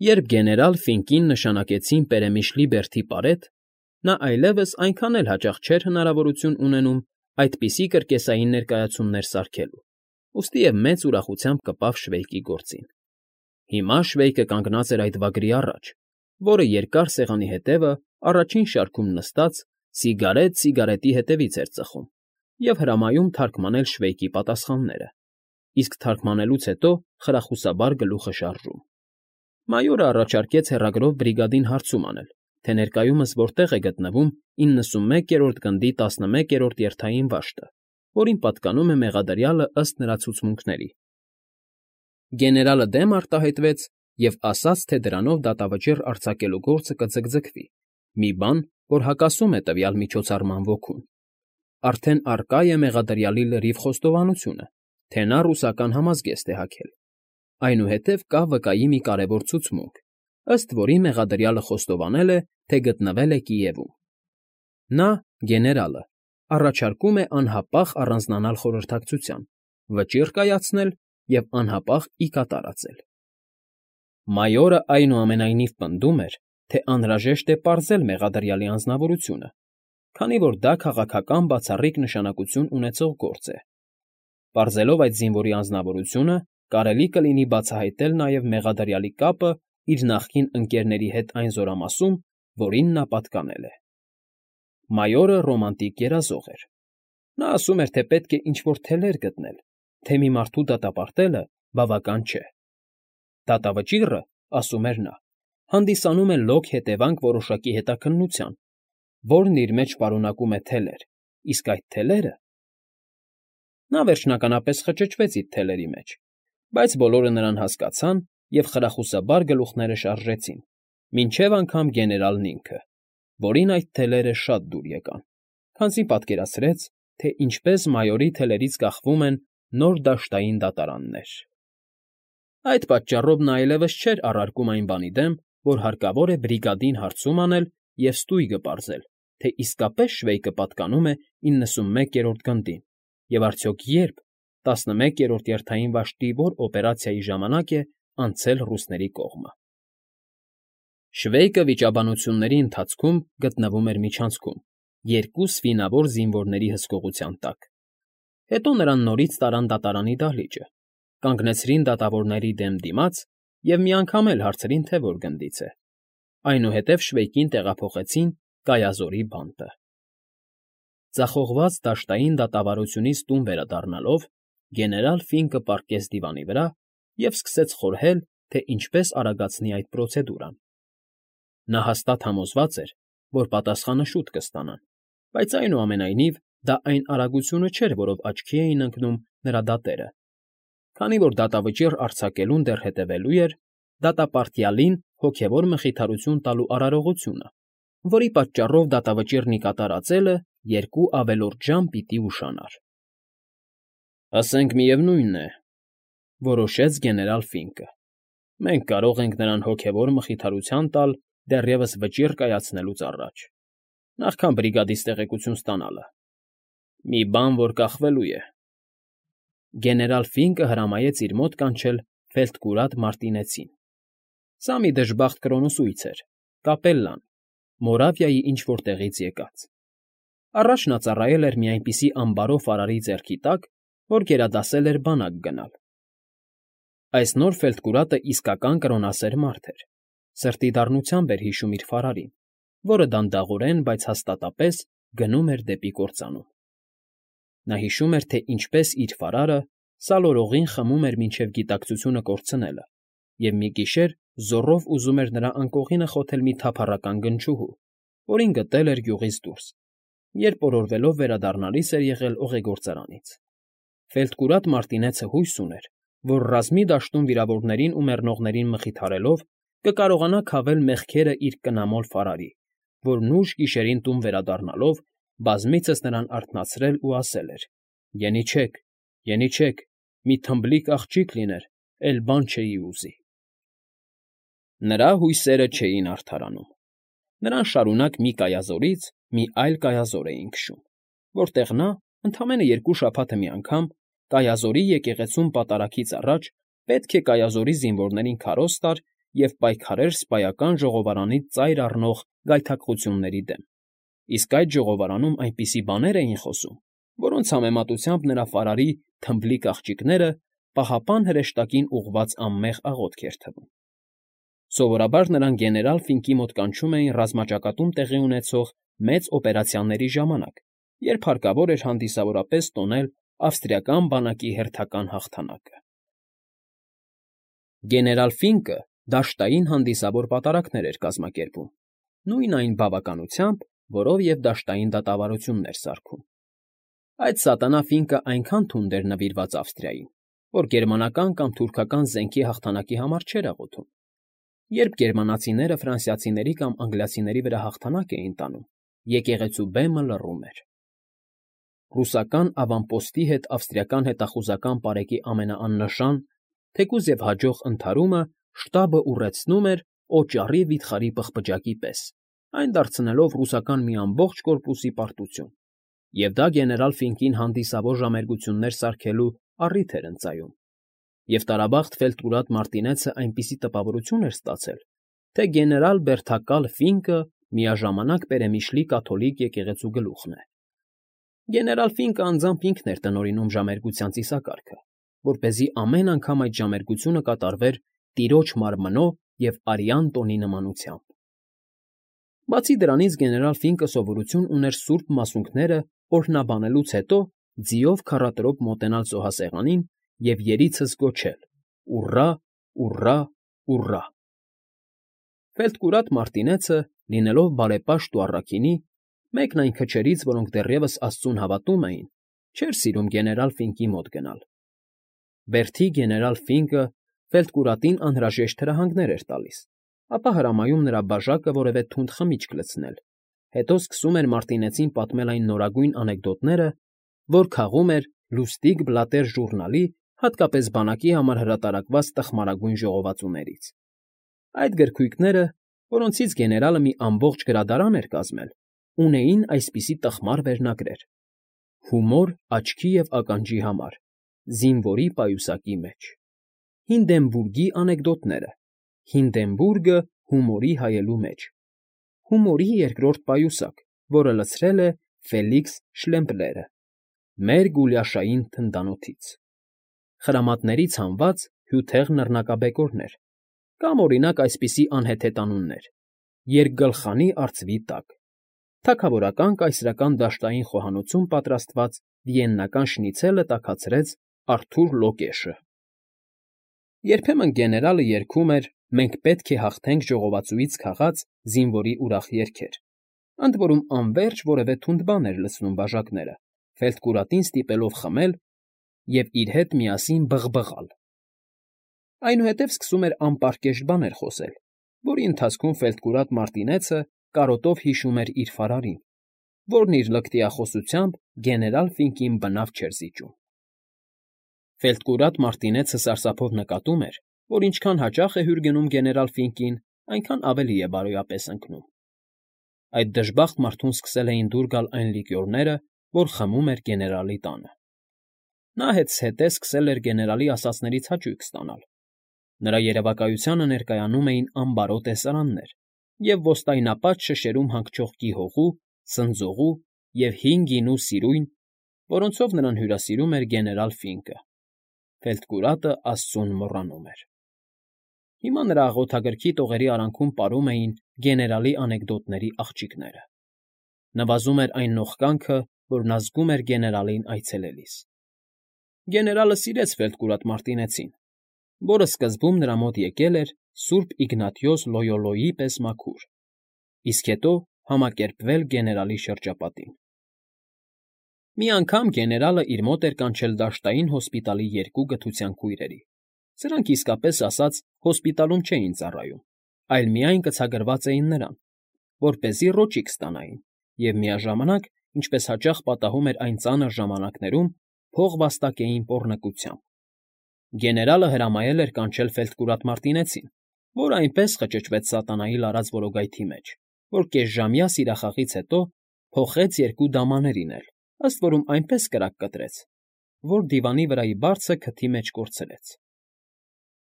Երբ գեներալ Ֆինկին նշանակեցին Պերեմիշլի բերդի պարետ, նա այլևս այնքան էլ հաճախ չէր հնարավորություն ունենում այդպիսի կրկեսային ներկայացումներ սարքելու, ուստի և մեծ ուրախությամբ կպավ Շվեյկի գործին։ Հիմա Շվեյկը կանգնած էր այդ վագրի առաջ, որը երկար սեղանի հետևը առաջին շարքում նստած սիգարետ սիգարետի հետևից էր ծխում և հրամայում թարգմանել Շվեյկի պատասխանները, իսկ թարգմանելուց հետո խրախուսաբար գլուխը շարժում։ Մայորը առաջարկեց հեռագրով բրիգադին հարցում անել, թե ներկայումս որտեղ է գտնվում 91-րդ գնդի 11-րդ երթային վաշտը, որին պատկանում է մեղադրյալը ըստ նրա ցուցմունքների։ Գեներալը դեմ արտահայտվեց և ասաց, թե դրանով դատավճիռ արձակելու գործը կձգձգվի, մի բան, որ հակասում է տվյալ միջոցառման ոգուն։ Արդեն առկա է մեղադրյալի լրիվ խոստովանությունը, թե նա ռուսական համազգեստ է հագել։ Այնուհետև կա վկայի մի կարևոր ցուցմունք, ըստ որի մեղադրյալը խոստովանել է, թե գտնվել է Կիևում։ Նա, գեներալը, առաջարկում է անհապաղ առանձնանալ խորհրդակցության, վճիռ կայացնել և անհապաղ ի կատար ածել։ Մայորը այնուամենայնիվ պնդում էր, թե անհրաժեշտ է պարզել մեղադրյալի անձնավորությունը, քանի որ դա քաղաքական բացառիկ նշանակություն ունեցող գործ է։ Պարզելով այդ զինվորի անձնավորությունը, կարելի կլինի բացահայտել նաև մեղադրյալի կապը իր նախկին ընկերների հետ այն զորամասում, որին նա պատկանել է։ Մայորը ռոմանտիկ երազող էր։ Նա ասում էր, թե պետք է ինչ-որ թելեր գտնել, թե մի մարդու դատապարտելը բավական չէ։ Դատավճիռը, ասում էր նա, հանդիսանում է լոկ հետևանք որոշակի հետաքննության, որն իր մեջ պարունակում է թելեր, իսկ այդ թելերը… Նա վերջնականապես խճճվեց իր թելերի մեջ, բայց բոլորը նրան հասկացան և խրախուսաբար գլուխները շարժեցին, մինչև անգամ գեներալն ինքը, որին այդ թելերը շատ դուր եկան, քանզի պատկերացրեց, թե ինչպես մայորի թելերից կախվում են նոր դաշտային դատարաններ։ Այդ պատճառով նա այլևս չէր առարկում այն բանի դեմ, որ հարկավոր է բրիգադին հարցում անել և ստույգը պարզել, թե իսկապես Շվեյկը պատկանում է 91-րդ գնդին, և արդյոք երբ, 11-րդ երթային վաշտի որ օպերացիայի ժամանակ է անցել ռուսների կողմը։ Շվեյկը վիճաբանությունների ընթացքում գտնվում էր միջանցքում, երկու սվինավոր զինվորների հսկողության տակ։ Հետո նրան նորից տարան դատարանի դահլիճը, կանգնեցրին դատավորների դեմ դիմաց և մի անգամ էլ հարցրին, թե որ գնդից է։ Այնուհետև Շվեյկին տեղափոխեցին Կայազորի բանտը։ Ձախողված դաշտային դատավարությունից տուն վերադառնալով, գեներալ Ֆինկը պառկեց դիվանի վրա և սկսեց խորհել, թե ինչպես արագացնի այդ պրոցեդուրան։ Նա հաստատ համոզված էր, որ պատասխանը շուտ կստանան, բայց այնուամենայնիվ դա այն արագությունը չէր, որով աչքի էին ընկնում նրա դատերը, քանի որ դատավճիռ արձակելուն դեռ հետևելու էր դատապարտյալին հոգևոր մխիթարություն տալու արարողությունը, որի պատճառով դատավճիռն ի կատար ածելը 2 ավելորդ ժամ պիտի ուշանար։ «Ասենք միևնույն է,֊ որոշեց գեներալ Ֆինկը,֊ մենք կարող ենք նրան հոգևոր մխիթարություն տալ դեռևս վճիռ կայացնելուց առաջ, նախքան բրիգադից տեղեկություն ստանալը։ Մի բան, որ կախվելու է»։ Գեներալ Ֆինկը հրամայեց իր մոտ կանչել ֆելդկուրատ Մարտինեցին։ Սա մի դժբախտ կրոնուսույց էր, կապելլան, Մորավիայի ինչ֊որ տեղից եկած։ Առաջ նա ծառայել էր մի այնպիսի ամբարոֆ արարի ձեռքի տակ, որ գերադասել էր բանակ գնալ։ Այս նոր ֆելդկուրատը իսկական կրոնասեր մարդ էր, սրտի դառնությամբ էր հիշում իր ֆարարին, որը դանդաղորեն, բայց հաստատապես գնում էր դեպի կործանում։ Նա հիշում էր, թե ինչպես իր ֆարարը սալորողին խմում էր մինչև գիտակցությունը կորցնելը, և մի գիշեր զոռով ուզում էր նրա անկողինը խոթել մի թափառական գնչուհու, որին գտել էր գյուղից դուրս, երբ օրորվելով վերադառնալիս էր եղել օղեգործարանից։ Ֆելդկուրատ Մարտինեցը հույս ուներ, որ ռազմի դաշտում վիրավորներին ու մեռնողներին մխիթարելով կկարողանա քավել մեղքերը իր կնամոլ ֆարարի, որն ուշ գիշերին տուն վերադառնալով բազմիցս նրան արթնացրել ու ասել էր. «Ենիչեք, ենիչեք, մի թմբլիկ աղջիկ լիներ, էլ բան չէի ուզի»։ Նրա հույսերը չէին արդարանում։ Նրան շարունակ մի կայազորից մի այլ կայազոր էին քշում, որտեղ նա, ընդամենը 2 շաբաթը մի անգամ, Կայազորի եկեղեցում պատարագից առաջ պետք է Կայազորի զինվորներին քարոզ տար և պայքարեր սպայական ժողովարանից ծայր առնող գայթակղությունների դեմ, իսկ այդ ժողովարանում այնպիսի բաներ էին խոսում, որոնց համեմատությամբ նրա ֆարարի թմբլիկ աղջիկները պահապան հրեշտակին ուղղված անմեղ աղոթք էր թվում։ Սովորաբար նրան գեներալ Ֆինկի մոտ կանչում էին ռազմաճակատում տեղի ունեցող մեծ օպերացիաների ժամանակ, երբ հարկավոր էր հանդիսավորապես տոնել ավստրիական բանակի հերթական հաղթանակը։ Գեներալ Ֆինկը դաշտային հանդիսավոր պատարակներ էր կազմակերպում, նույն այն բավականությամբ, որով և դաշտային դատավարություններ սարքում։ Այդ սատանա Ֆինկը այնքան թունդ էր նվիրված Ավստրիային, որ գերմանական կամ թուրքական զենքի հաղթանակի համար չէր աղոթում։ Երբ գերմանացիները ֆրանսիացիների կամ անգլիացիների վրա հաղթանակ էին տանում, եկեղեցու բեմը լռում էր։ Ռուսական ավանպոստի հետ ավստրիական հետախուզական պարեկի ամենաաննշան, թեկուզ և հաջող ընդհարումը շտաբը ուռեցնում էր օճառի վիթխարի պղպջակի պես, այն դարձնելով ռուսական մի ամբողջ կորպուսի պարտություն, և դա գեներալ Ֆինկին հանդիսավոր ժամերգություններ սարքելու առիթ էր ընծայում։ Եվ տարաբախտ ֆելդկուրատ Մարտինեցը այնպիսի տպավորություն էր ստացել, թե գեներալ բերդակալ Ֆինկը միաժամանակ պերեմիշլի կաթոլիկ եկեղեցու գլուխն է։ Գեներալ Ֆինկը անձամբ ինքն էր տնօրինում ժամերգության ծիսակարգը, որպեսզի ամեն անգամ այդ ժամերգությունը կատարվեր տիրոջ մարմնո և արյան տոնի նմանությամբ։ Բացի դրանից գեներալ Ֆինկը սովորություն ուներ սուրբ մասունքները օրհնաբանելուց հետո ձիով քառատրոպ մոտենալ զոհասեղանին և երիցս գոչել. «Ուռա, ուռա, ուռա»։ Ֆելդկուրատ Մարտինեցը, լինելով բարեպաշտ ու առաքինի, մեկն այն քչերից, որոնք դեռևս աստծուն հավատում էին, չէր սիրում գեներալ Ֆինկի մոտ գնալ։ Բերդի գեներալ Ֆինկը Ֆելդկուրատին անհրաժեշտ հրահանգներ էր տալիս, ապա հրամայում նրա բաժակը որևէ թունդ խմիչք լցնել, հետո սկսում էր Մարտինեցին պատմել այն նորագույն անեկդոտները, որ քաղում էր Լուստիգ Բլատեր ժուռնալի, հատկապես բանակի համար հրատարակված տխմարագույն ժողովածուներից։ Այդ գրքույկները, որոնցից գեներալը մի ամբողջ գրադարան էր կազմել, ունեին այսպիսի տխմար վերնագրեր. «Հումոր աչքի և ականջի համար, զինվորի պայուսակի մեջ», «Հինդենբուրգի անեկդոտները», «Հինդենբուրգը հումորի հայելու մեջ», «Հումորի երկրորդ պայուսակ, որը լցրել է Ֆելիքս Շլեմպլերը», «Մեր Գուլյաշային թնդանոթից», խրամատներից հանված հյութեղ նռնակաբեկորներ, կամ, օրինակ, այսպիսի անհեթեթ անուններ. «Երկգլխանի արծվի տակ», «Թագավորական կայսրական դաշտային խոհանոցում պատրաստված վիեննական շնիցելը տաքացրեց Արթուր Լոկեշը»։ Երբեմն գեներալը երգում էր «Մենք պետք է հաղթենք» ժողովածուից քաղած զինվորի ուրախ երգեր, ընդ որում անվերջ որևէ թունդ բան էր լցնում բաժակները, Ֆելդկուրատին ստիպելով խմել և իր հետ միասին բղբղալ։ Այնուհետև սկսում էր անպարկեշտ բաներ խոսել, որի ընթացքում Ֆելդկուրատ Մարտինեցը կարոտով հիշում էր իր ֆարարին, որն իր լկտիախոսությամբ գեներալ Ֆինկին բնավ չէր զիջում։ Ֆելդկուրատ Մարտինեցը սարսափով նկատում էր, որ ինչքան հաճախ է հյուր գնում գեներալ Ֆինկին, այնքան ավելի է բարոյապես ընկնում։ Այդ դժբախտ մարդուն սկսել էին դուր գալ այն լիկյորները, որ խմում էր գեներալի տանը։ Նա հետզհետե սկսել էր գեներալի ասածներից հաճույք ստանալ։ Նրա երևակայությանը ներկայանում էին ամբարո տեսարաններ և ոստայնապատ շշերում հանգչող գիհողու, սնձողու և հին գինու սիրույն, որոնցով նրան հյուրասիրում էր գեներալ Ֆինկը։ Ֆելդկուրատը աստծուն մոռանում էր։ Հիմա նրա աղոթագրքի տողերի արանքում պարում էին գեներալի անեկդոտների աղջիկները։ Նվազում էր այն նողկանքը, որ նա զգում էր գեներալին այցելելիս։ Գեներալը սիրեց Ֆելդկուրատ Մարտինեցին, որը սկզբում նրա մոտ եկել էր Սուրբ Իգնատիոս Լոյոլոյի պես մաքուր, իսկ հետո համակերպվել գեներալի շրջապատին։ Մի անգամ գեներալը իր մոտ էր կանչել դաշտային հոսպիտալի երկու գթության քույրերի։ Սրանք իսկապես ասած հոսպիտալում չէին ծառայում, այլ միայն կցագրված էին նրան, որպեսզի ռոճիկ ստանային և միաժամանակ, ինչպես հաճախ պատահում էր այն ծանր ժամանակներում, փող վաստակեին պոռնկությամբ։ Գեներալը հրամայել էր կանչել Ֆելդկուրատ Մարտինեցին, որը այնպես խճճվեց սատանայի լարած որոգայթի մեջ, որ կեսժամյա սիրախաղից հետո փոխեց երկու դամաներին էլ, ըստ որում այնպես կրակ կտրեց, որ դիվանի վրայի բարձը քթի մեջ կորցրեց։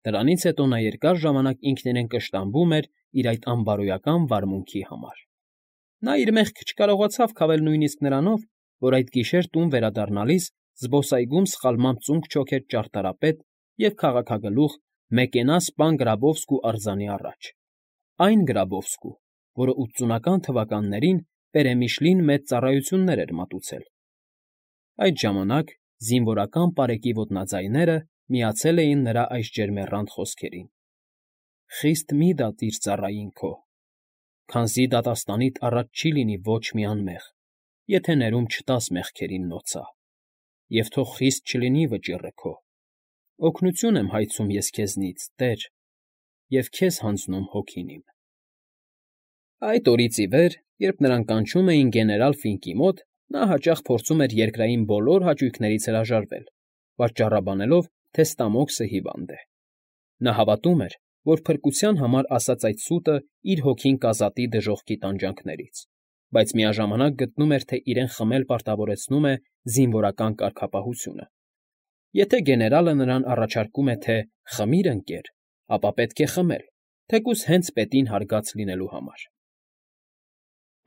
Դրանից հետո նա երկար ժամանակ ինքն իրեն կշտամբում էր իր այդ անբարոյական վարմունքի համար։ Նա իր մեղքը չկարողացավ քավել նույնիսկ նրանով, որ այդ գիշեր տուն վերադառնալիս զբոսայգում սխալմամբ ծունկ չոքեց ճարտարապետ և քաղաքագլուխ Մեկենաս պան Գրաբովսկու արձանի առաջ, այն Գրաբովսկու, որը 80-ական թվականներին Պերեմիշլին մեծ ծառայություններ էր մատուցել։ Այդ ժամանակ զինվորական պարեկի ոտնաձայները միացել էին նրա այս ջերմեռանդ խոսքերին. «Խիստ մի դատիր ծառային քո, քանզի դատաստանիդ առաջ չի լինի ոչ մի անմեղ, եթե ներում չտաս մեղքերին նոցա, և թող խիստ չլինի վճիռը քո, օգնություն եմ հայցում ես քեզնից, Տեր, և քեզ հանձնում հոգին իմ»։ Այդ օրից ի վեր, երբ նրան կանչում էին գեներալ Ֆինկի մոտ, նա հաճախ փորձում էր երկրային բոլոր հաճույքներից հրաժարվել, պատճառաբանելով, թե Ստամոքսը հիվանդ է։ Նա հավատում էր, որ փրկության համար ասած այդ սուտը իր հոգին կազատի դժոխքի տանջանքներից, բայց միաժամանակ գտնում էր, թե իրեն խմել պարտավորեցնում է զինվորական կարգապահությունը։ Եթե գեներալը նրան առաջարկում է, թե «խմիր, ընկեր», ապա պետք է խմել, թեկուզ հենց պետին հարգած լինելու համար։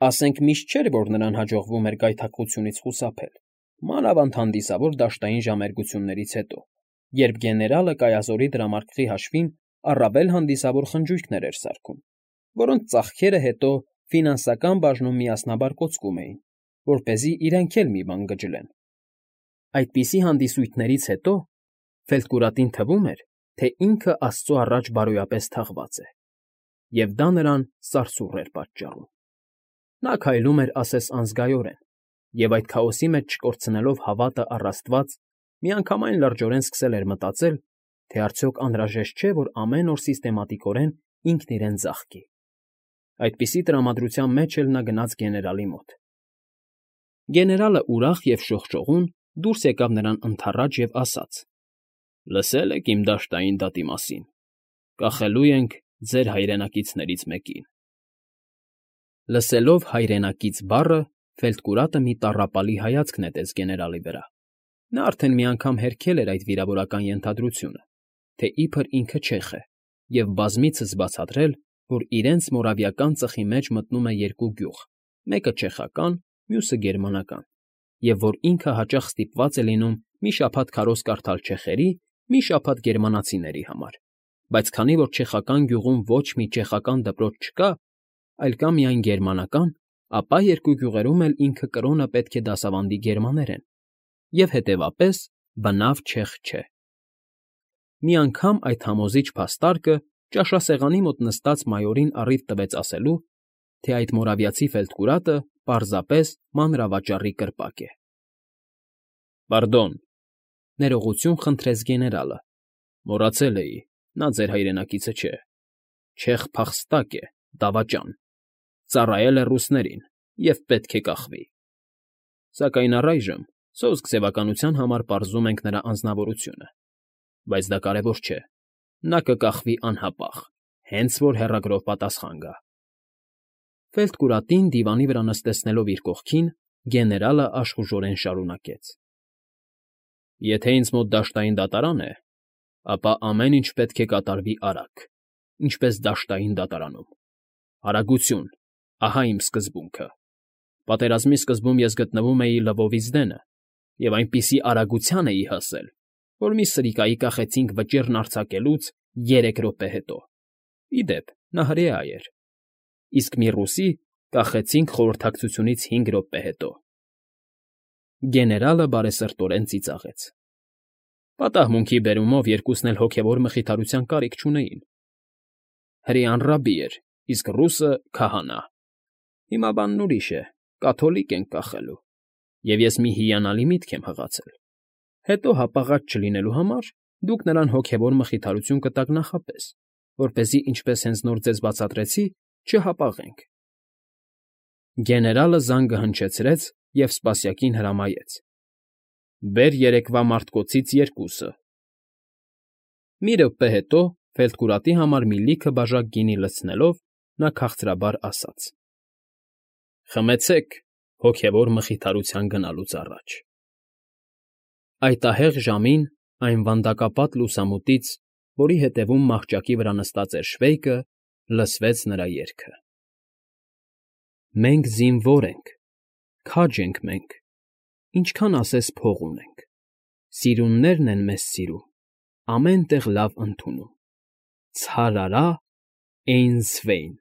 Ասենք միշտ չէր, որ նրան հաջողվում էր գայթակղությունից խուսափել, մանավանդ հանդիսավոր դաշտային ժամերգություններից հետո, երբ գեներալը կայազորի դրամարկղի հաշվին առավել հանդիսավոր խնջույքներ էր սարքում, որոնց ծախքերը հետո ֆինանսական բաժնում միասնաբար կոծկում էին, որպեսզի իրենք էլ մի բան գջլեն։ Այդպիսի հանդիսույթներից հետո Ֆելտկուրատին թվում էր, թե ինքը Աստծո առաջ բարոյապես թաղված է, և դա նրան սարսուռ էր պատճառում։ Նա քայլում էր ասես անզգայորեն, և այդ քաոսի մեջ չկորցնելով հավատը առ Աստված, միանգամայն լրջորեն սկսել էր մտածել, թե արդյոք անհրաժեշտ չէ, որ ամեն օր սիստեմատիկորեն ինքն իրեն ձաղկի։ Այդպիսի տրամադրության մեջ էլ նա գնաց գեներալի մոտ։ Գեներալը ուրախ և շողշողուն դուրս եկավ նրան ընդառաջ և ասաց. «Լսել եք իմ դաշտային դատի մասին. կախելու ենք ձեր հայրենակիցներից մեկին»։ Լսելով «հայրենակից» բառը, Ֆելտկուրատը մի տառապալի հայացք նետեց գեներալի վրա։ Նա արդեն մի անգամ հերքել էր այդ վիրավորական ենթադրությունը, թե իբր ինքը չեխ է, և բազմիցս բացատրել, որ իրենց մորավիական ծխի մեջ մտնում է երկու գյուղ, մեկը չեխական, մյուսը գերմանական, և որ ինքը հաճախ ստիպված է լինում մի շաբաթ քարոզ կարդալ չեխերի, մի շաբաթ գերմանացիների համար, բայց քանի որ չեխական գյուղում ոչ մի չեխական դպրոց չկա, այլ կա միայն գերմանական, ապա երկու գյուղերում էլ ինքը կրոնը պետք է դասավանդի գերմաներեն, և հետևապես բնավ չեխ չէ։ Մի անգամ այդ համոզիչ փաստարկը ճաշասեղանի մոտ նստած մայորին առիթ տվեց ասելու, թե այդ մորավիացի Ֆելտկուրատը պարզապես մանրավաճառի կրպակ է։ «Պարդոն», ներողություն խնդրեց գեներալը, «մոռացել էի, նա ձեր հայրենակիցը չէ, չեխ փախստակ է, դավաճան, ծառայել է ռուսներին և պետք է կախվի։ Սակայն առայժմ սոսկ ձևականության համար պարզում ենք նրա անձնավորությունը, բայց դա կարևոր չէ, նա կկախվի անհապաղ, հենց որ հեռագրով պատասխան գա»։ Ֆելտկուրատին դիվանի վրա նստեցնելով իր կողքին, գեներալը աշխուժորեն շարունակեց. «Եթե ինձ մոտ դաշտային դատարան է, ապա ամեն ինչ պետք է կատարվի արագ, ինչպես դաշտային դատարանում։ Արագություն, ահա իմ սկզբունքը։ Պատերազմի սկզբում ես գտնվում էի Լվովից դենը և այնպիսի արագության էի հասել, որ մի սրիկայի կախեցինք վճիռն արձակելուց 3 րոպե հետո։ Ի դեպ, նա հրեա էր, իսկ մի ռուսի կախեցինք խորհրդակցությունից 5 րոպե հետո»։ Գեներալը բարեսրտորեն ծիծաղեց։ Պատահմունքի բերումով երկուսն էլ հոգևոր մխիթարության կարիք չունեին։ Հրեան ռաբբի էր, իսկ ռուսը՝ քահանա։ Հիմա բանն ուրիշ է, կաթոլիկ ենք կախելու, և ես մի հիանալի միտք եմ հղացել. հետո հապաղած չլինելու համար դուք նրան հոգևոր մխիթարություն կտաք նախապես, որպեսզի, ինչպես հենց նոր ձեզ բացատրեցի, չհապաղենք։ Գեներալը զանգը հնչեցրեց և սպասյակին հրամայեց. «Բեր երեկվա մարտկոցից 2»։ Մի րոպե հետո, Ֆելտկուրատի համար մի լիքը բաժակ գինի լցնելով, նա քաղցրաբար ասաց. «Խմեցեք հոգևոր մխիթարության գնալուց առաջ»։ Այդ ահեղ ժամին այն վանդակապատ լուսամուտից որի ետևում մահճակի վրա նստած էր Շվեյկը, լսվեց նրա երգը. Մենք զինվոր ենք, քաջ ենք մենք, ինչքան ասես փող ունենք, սիրուններն են մեզ սիրում, ամեն տեղ լավ ընդունում, ցարարա՜, Էյնզվեյն։